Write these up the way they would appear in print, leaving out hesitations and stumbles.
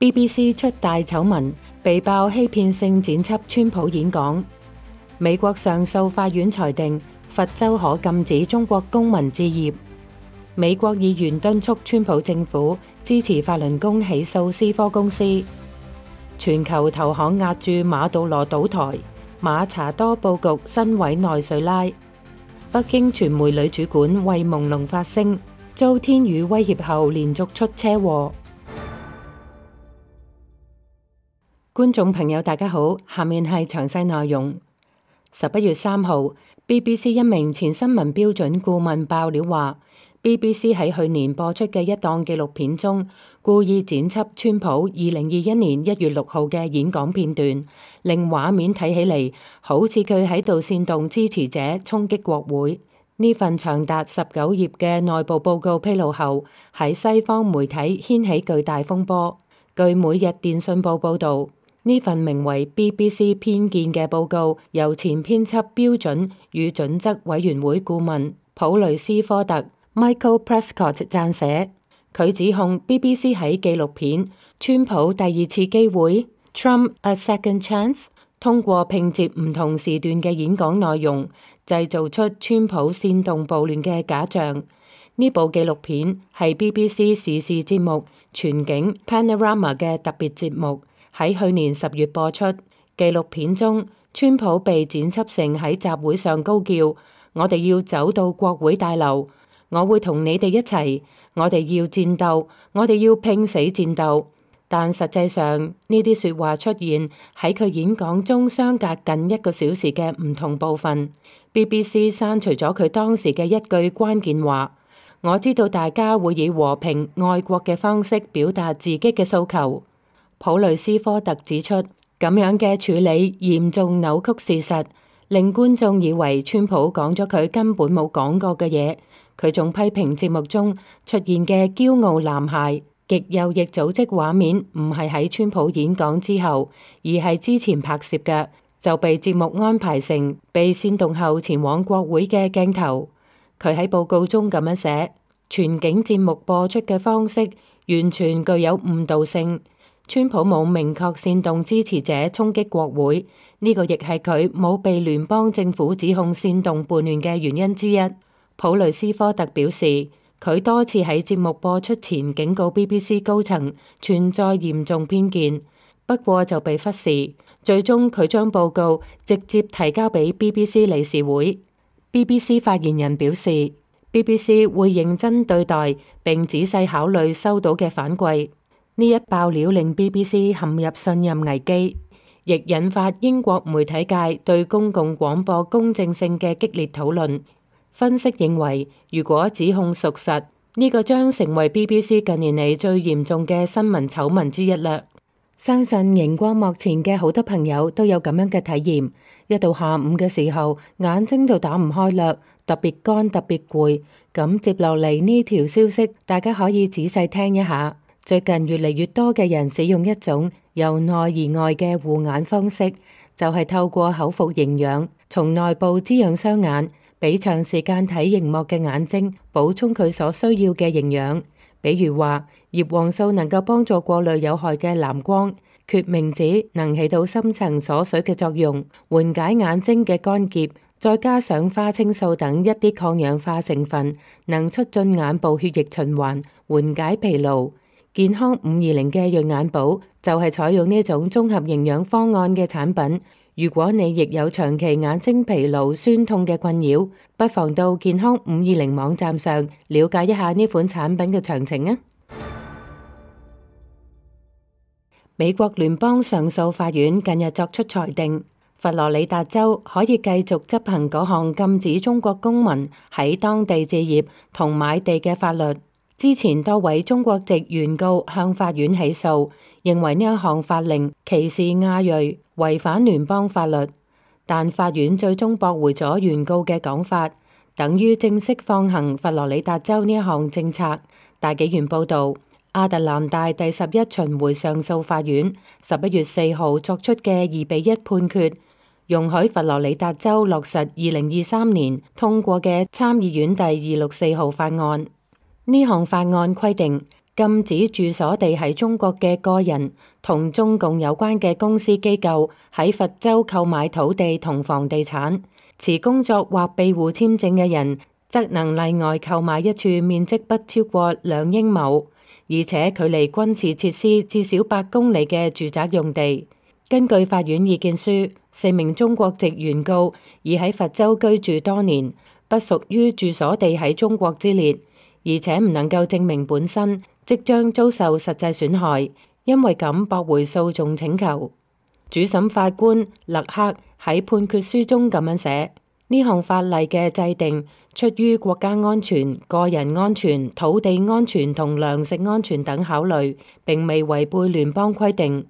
BBC 出大醜聞，被爆欺騙性剪輯川普演講。美國上訴法院裁定，佛州可禁止中國公民置業。美國議員敦促川普政府支持法輪功起訴思科公司。全球投行押注馬杜羅倒台，馬查多佈局新委內瑞拉。北京傳媒女主管為朦朧發聲，遭天雨威脅後連續出車禍。觀眾朋友大家好，下面係詳細內容。11月3號 BBC 一名前新聞標準顧問爆料話， BBC 喺去年播出嘅一檔紀錄片中，故意剪輯川普2021年1月6號嘅演講片段，令畫面睇起嚟好似佢喺度煽動支持者衝擊國會。呢份長達19頁嘅內部報告披露後，喺西方媒體掀起巨大風波。據每日電訊報報導，呢份名為 BBC 偏見嘅報告由前編輯標準與準則委員會顧問普雷斯科特 Michael Prescott 撰寫。佢指控 BBC 喺紀錄片《川普第二次機會》Trump a Second Chance 通過拼接唔同時段嘅演講內容，製造出川普煽動暴亂嘅假象。呢部紀錄片係 BBC 時事節目全景 Panorama 嘅特別節目，喺去年10月播出。紀錄片中，川普被剪輯成喺集會上高叫：我哋要走到國會大樓，我會同你哋一齊，我哋要戰鬥，我哋要拼死戰鬥。但實際上，呢啲說話出現喺佢演講中相隔近1個小時嘅唔同部分。BBC 刪除咗佢當時嘅一句關鍵話：我知道大家會以和平愛國嘅方式表達自己嘅訴求。普雷斯科特指出，咁樣嘅處理嚴重扭曲事實，令觀眾以為川普講咗佢根本冇講過嘅嘢。佢仲批評節目中出現嘅驕傲男孩、極右翼組織畫面唔係喺川普演講之後，而係之前拍攝嘅，就被節目安排成被煽動後前往國會嘅鏡頭。佢喺報告中咁樣寫：全景節目播出嘅方式完全具有誤導性。川普冇明確煽動支持者衝擊國會，呢個亦係佢冇被聯邦政府指控煽動叛亂嘅原因之一。普雷斯科特表示，佢多次喺節目播出前警告 BBC 高層存在嚴重偏見，不過就被忽視。最終佢將報告直接提交俾 BBC 理事會。BBC 發言人表示， BBC 會認真對待並仔細考慮收到嘅反饋。呢一爆料令 BBC 陷入信任危機，亦引發英國媒體界對公共廣播公正性嘅激烈討論。分析認為，如果指控屬實，呢個將成為 BBC 近年嚟最嚴重嘅新聞醜聞之一啦。相信熒光幕前嘅好多朋友都有咁樣嘅體驗，一到下午嘅時候，眼睛就打唔開啦，特別乾，特別攰。咁接落嚟呢條消息，大家可以仔細聽一下。最近越嚟越多嘅人使用一種由內而外嘅護眼方式，就係透過口服營養，從內部滋養雙眼，俾長時間睇熒幕嘅眼睛補充佢所需要嘅營養。比如話，葉黃素能夠幫助過濾有害嘅藍光，決明子能起到深層鎖水嘅作用，緩解眼睛嘅乾澀，再加上花青素等一啲抗氧化成分，能促進眼部血液循環，緩解疲勞。健康520嘅潤眼寶就係採用呢種綜合營養方案嘅產品。如果你亦有長期眼睛疲勞、酸痛嘅困擾，不妨到健康520網站上了解一下呢款產品嘅詳情啊！美國聯邦上訴法院近日作出裁定，佛羅里達州可以繼續執行嗰項禁止中國公民喺當地置業同買地嘅法律。之前多位中國籍原告向法院起訴，認為呢一項法令歧視亞裔，違反聯邦法律。但法院最終駁回咗原告嘅講法，等於正式放行佛羅里達州呢一項政策。大紀元報導，亞特蘭大第11巡迴上訴法院11月4號作出嘅2-1判決，容許佛羅里達州落實2023年通過嘅參議院第264號法案。呢項法案規定，禁止住所地喺中國嘅個人同中共有關嘅公司機構喺佛州購買土地同房地產，持工作或庇護簽證嘅人則能例外購買一處面積不超過2英畝，而且距離軍事設施至少8公里嘅住宅用地。根據法院意見書，4名中國籍原告已喺佛州居住多年，不屬於住所地喺中國之列，而且唔能夠證明本身即將遭受實際損害，因為咁駁回訴訟請求。主審法官勒克喺判決書中咁樣寫：呢項法例嘅制定出於國家安全、個人安全、土地安全同糧食安全等考慮，並未違背聯邦規定。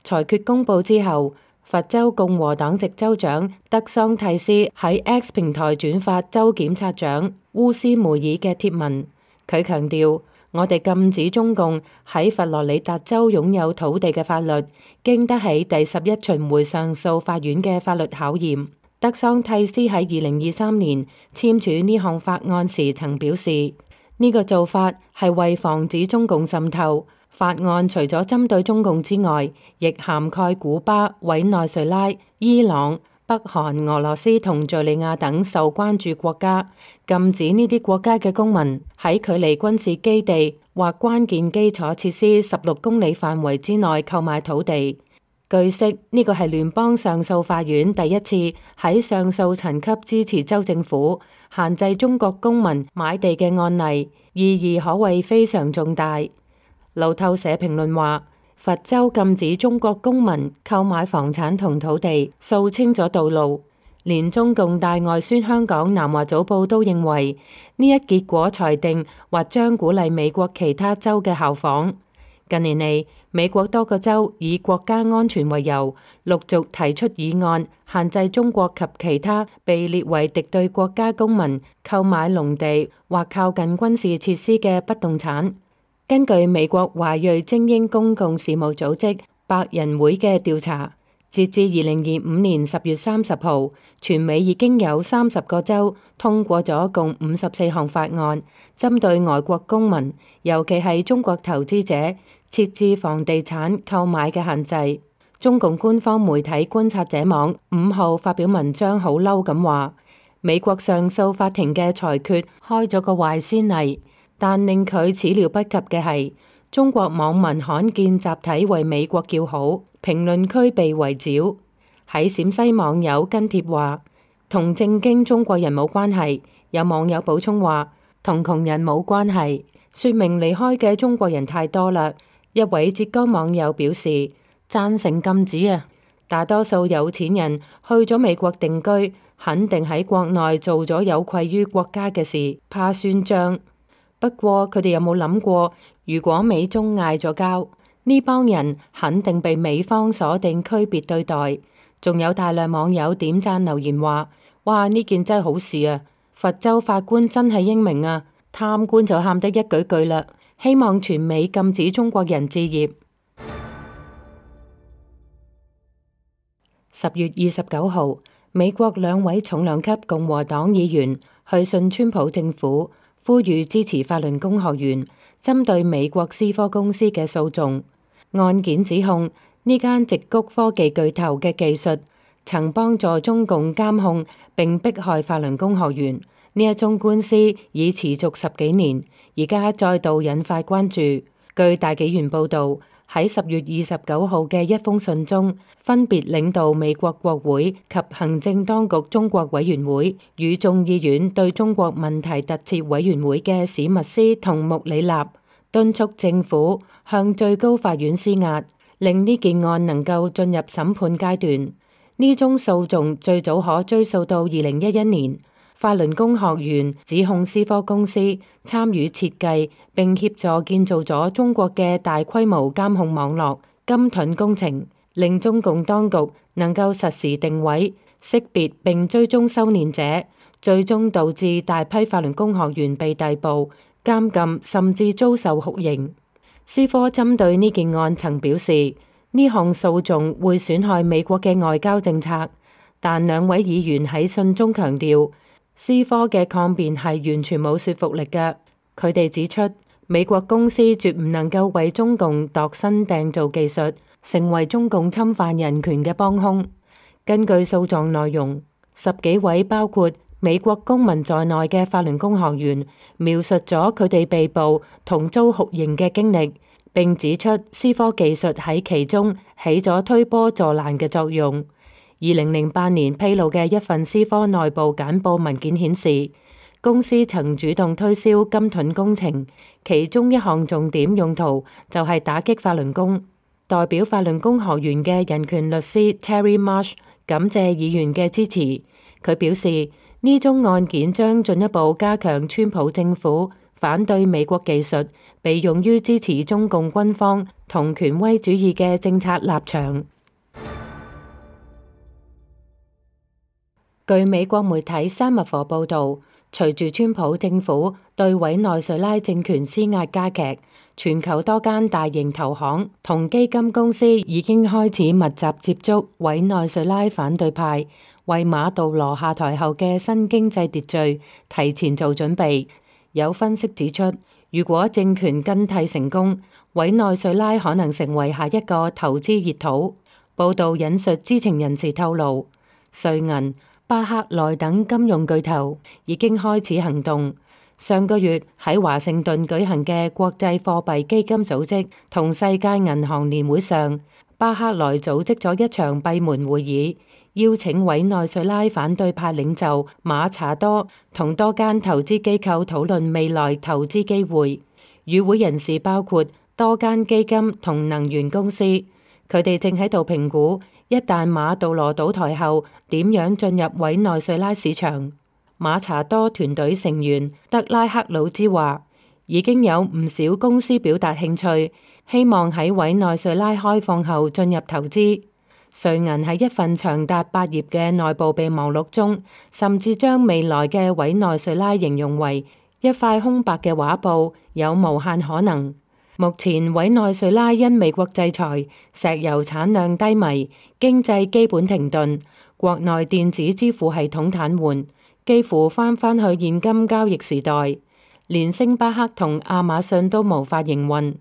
裁決公佈之後，佛州共和黨籍州長德桑蒂斯喺 X 平台轉發州檢察長烏斯梅爾嘅貼文，佢強調：我哋禁止中共喺佛羅里達州擁有土地嘅法律，經得起第11巡迴上訴法院嘅法律考驗。德桑蒂斯喺2023年簽署呢項法案時曾表示，呢個做法係為防止中共滲透。法案除咗針對中共之外，亦涵蓋古巴、委內瑞拉、伊朗、北韓、俄羅斯同敘利亞等受關注國家，禁止呢啲國家嘅公民喺距離軍事基地或關鍵基礎設施16公里範圍之內購買土地。據悉，呢個係聯邦上訴法院第一次喺上訴層級支持州政府限制中國公民買地嘅案例，意義可謂非常重大。路透社評論話，佛州禁止中國公民購買房產同土地，掃清咗道路。連中共大外宣香港南華早報都認為，呢一結果裁定或將鼓勵美國其他州嘅效仿。近年嚟，美國多個州以國家安全為由，陸續提出議案，限制中國及其他被列為敵對國家公民購買農地或靠近軍事設施嘅不動產。根據美國華裔精英公共事務組織百人會嘅調查，截至2025年10月30號，全美已經有30個州通過咗共54項法案，針對外國公民，尤其係中國投資者，設置房地產購買嘅限制。中共官方媒體觀察者網5號發表文章，好嬲咁話，美國上訴法庭嘅裁決開咗個壞先例。但令佢始料不及嘅係，中國網民罕見集體為美國叫好，評論區被圍剿。喺陝西網友跟帖話，同正經中國人冇關係。有網友補充話，同窮人冇關係，說明離開嘅中國人太多啦。一位浙江網友表示，贊成禁止啊！大多數有錢人去咗美國定居，肯定喺國內做咗有愧於國家嘅事，怕算賬。不過佢哋有冇諗過，如果美中嗌咗交，呢幫人肯定被美方鎖定區別對待。仲有大量網友點讚留言話：哇，呢件真係好事啊！佛州法官真係英明啊！貪官就喊得一句句啦，希望全美禁止中國人置業。10月29號，美國2位重量級共和黨議員去信川普政府，呼籲支持法輪功學員針對美國思科公司嘅訴訟。案件指控呢間矽谷科技巨頭嘅技術曾幫助中共監控並迫害法輪功學員。呢一宗官司已持續10幾年，而家再度引發關注。據大紀元報導，喺10月29號嘅一封信中，分別領導美國國會及行政當局中國委員會與眾議院對中國問題特設委員會嘅史密斯同穆里納敦促政府向最高法院施壓，令呢件案能夠進入審判階段。呢宗訴訟最早可追溯到2011年。法輪功學員指控思科公司參與設計並協助建造咗中國嘅大規模監控網絡金盾工程，令中共當局能夠實時定位、識別並追蹤修煉者，最終導致大批法輪功學員被逮捕、監禁，甚至遭受酷刑。思科針對呢件案曾表示，呢項訴訟會損害美國嘅外交政策，但2位議員喺信中強調，思科嘅抗辯係完全冇說服力嘅。佢哋指出，美國公司絕唔能夠為中共度身訂造技術，成為中共侵犯人權嘅幫兇。根據訴狀內容，10幾位包括美國公民在內嘅法輪功學員描述咗佢哋被捕同遭酷刑嘅經歷，並指出思科技術喺其中起咗推波助瀾嘅作用。2008年披露嘅一份思科內部簡報文件顯示，公司曾主動推銷金盾工程，其中一項重點用途就係打擊法輪功。代表法輪功學員嘅人權律師 Terry Marsh 感謝議員嘅支持。佢表示，呢宗案件將進一步加強川普政府反對美國技術被用於支持中共軍方同權威主義嘅政策立場。據美國媒體沙密佛報導，隨住川普政府對委內瑞拉政權施壓加劇，全球多間大型投行同基金公司已經開始密集接觸委內瑞拉反對派，為馬杜羅下台後嘅新經濟秩序提前做準備。有分析指出，如果政權更替成功，委內瑞拉可能成為下一個投資熱土。報導引述知情人士透露，瑞銀、巴克萊等金融巨頭已經開始行動。上個月喺華盛頓舉行嘅國際貨幣基金組織同世界銀行年會上，巴克萊組織咗一場閉門會議，邀請委內瑞拉反對派領袖馬查多同多間投資機構討論未來投資機會。與會人士包括多間基金同能源公司，佢哋正喺度評估一旦馬杜羅倒台後點樣進入委內瑞拉市場。馬查多團隊成員德拉克魯茲話，已經有唔少公司表達興趣，希望喺委內瑞拉開放後進入投資。瑞銀喺一份長達8頁嘅內部備忘錄中，甚至將未來嘅委內瑞拉形容為一塊空白嘅畫布，有無限可能。目前委內瑞拉因美國制裁，石油產量低迷，經濟基本停頓，國內電子支付系統癱瘓，幾乎返去現金交易時代，連星巴克同亞馬遜都無法營運。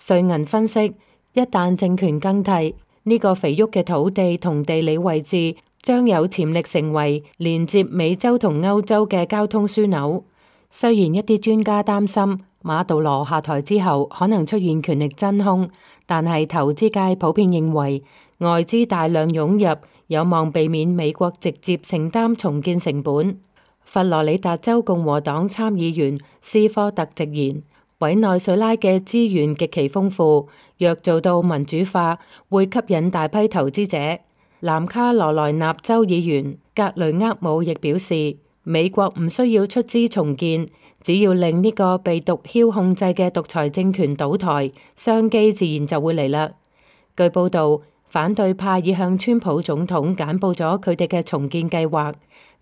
瑞銀分析，一旦政權更替，呢個肥沃嘅土地同地理位置將有潛力成為連接美洲同歐洲嘅交通樞紐。雖然一啲專家擔心馬杜羅下台之後可能出現權力真空，但係投資界普遍認為外資大量湧入，有望避免美國直接承擔重建成本。佛羅里達州共和黨參議員斯科特直言，委內瑞拉嘅資源極其豐富，若做到民主化，會吸引大批投資者。南卡羅來納州議員格雷厄姆亦表示，美國唔需要出資重建，只要令呢個被毒梟控制嘅獨裁政權倒台，商機自然就會嚟啦。據報道，反對派已向川普總統簡報咗佢哋嘅重建計劃，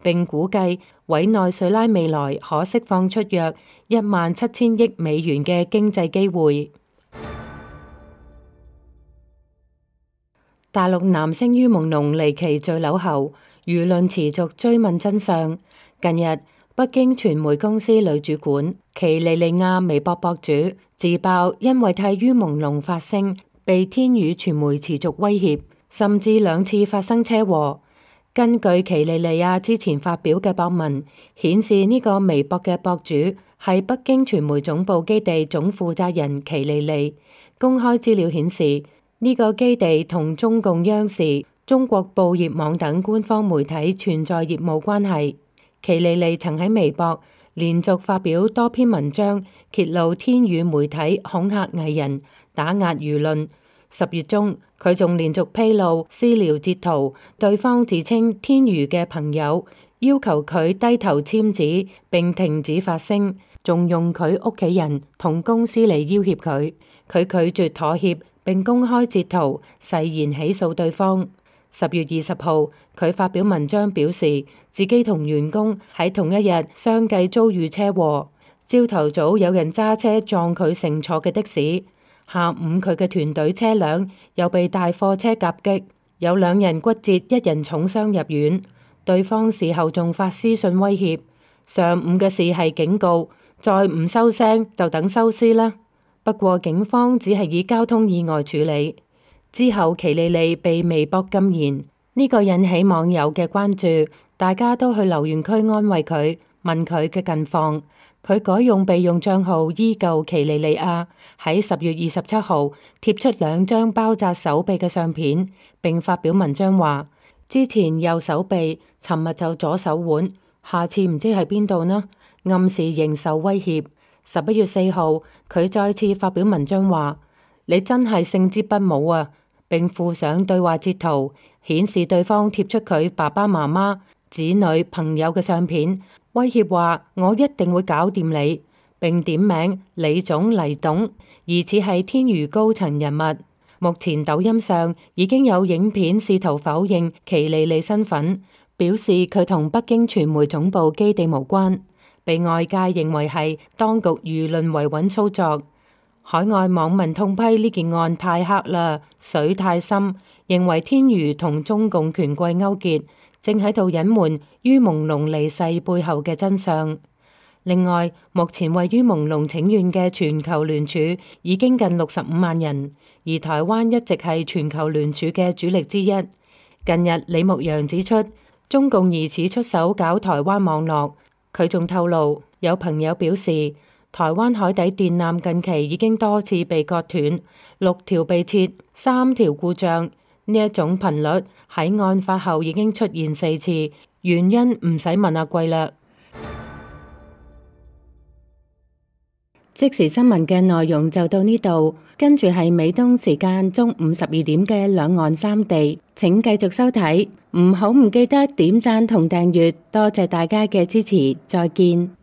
並估計委內瑞拉未來可釋放出約17000億美元嘅經濟機會。大陸男星于朦朧離奇墜樓後，輿論持續追問真相。近日，北京傳媒公司女主管奇莉莉亞微博博主自爆，因為替于朦朧發聲，被天宇傳媒持續威脅，甚至2次發生車禍。根據奇莉莉亞之前發表嘅博文顯示，呢個微博嘅博主係北京傳媒總部基地總負責人奇莉莉。公開資料顯示，呢個基地同中共央視、中國報業網等官方媒體存在業務關係。奇莉莉曾喺微博連續發表多篇文章，揭露天宇媒體恐嚇藝人、打壓輿論。10月中，佢仲連續披露私聊截圖，對方自稱天宇嘅朋友，要求佢低頭簽字並停止發聲，仲用佢屋企人同公司嚟要挾佢。佢拒絕妥協並公開截圖，誓言起訴對方。10月20號，佢發表文章表示，自己同員工喺同一日相繼遭遇車禍。朝頭早有人揸車撞佢乘坐嘅的士，下午佢嘅團隊車輛又被大貨車夾擊，有2人骨折，1人重傷入院。對方事後仲發私信威脅。上午嘅事係警告，再唔收聲就等收屍啦。不過警方只係以交通意外處理。之後奇莉莉被微博禁言，呢個引起網友嘅關注，大家都去留言區安慰佢，問佢嘅近況。佢改用備用賬號依舊奇莉莉亞，喺10月27號貼出2張包紮手臂嘅相片，並發表文章話：之前右手臂，尋日就左手腕，下次唔知喺邊度呢？暗示仍受威脅。11月4號，佢再次發表文章話：你真係勝之不武啊！並附上對話截圖，顯示對方貼出佢爸爸媽媽、子女、朋友嘅相片。威脅話：我一定會搞掂你，並點名李總黎董，疑似係天娛高層人物。目前抖音上已經有影片試圖否認奇莉莉身份，表示佢同北京傳媒總部基地無關，被外界認為係當局輿論維穩操作。海外網民痛批呢件案太黑啦，水太深，認為天娛同中共權貴勾結，正喺度隱瞞于朦朧離世背後嘅真相。另外，目前位於朦朧請願嘅全球聯署已經近65萬人，而台灣一直係全球聯署嘅主力之一。近日，李牧陽指出，中共疑似出手搞台灣網絡。佢仲透露，有朋友表示，台灣海底電纜近期已經多次被割斷，6條被切，3條故障。呢一種頻率喺案發後已經出現4次，原因唔使問阿貴啦。即時新聞嘅內容就到呢度，跟住係美東時間中午12點嘅兩岸三地，請繼續收睇，唔記得點讚同訂閱，多謝大家嘅支持，再見。